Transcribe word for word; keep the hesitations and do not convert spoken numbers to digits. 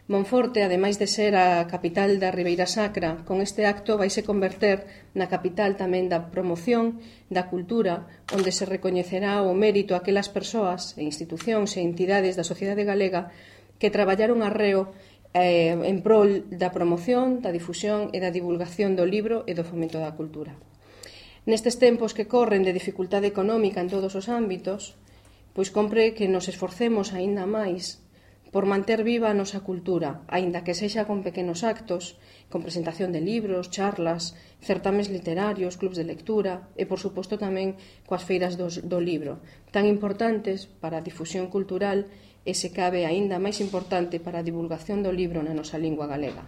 Monforte, ademais de ser a capital da Ribeira Sacra, con este acto vaise converter na capital tamén da promoción da cultura, onde se recoñecerá o mérito a aquelas persoas e institucións e entidades da sociedade galega que traballaron arreo eh, en prol da promoción, da difusión e da divulgación do libro e do fomento da cultura. Nestes tempos que corren de dificultade económica en todos os ámbitos, pois compre que nos esforcemos aínda máis por manter viva a nosa cultura, aínda que sexa con pequenos actos, con presentación de libros, charlas, certames literarios, clubs de lectura e, por suposto, tamén coas feiras do, do libro, tan importantes para a difusión cultural e, se cabe, aínda máis importante para a divulgación do libro na nosa lingua galega.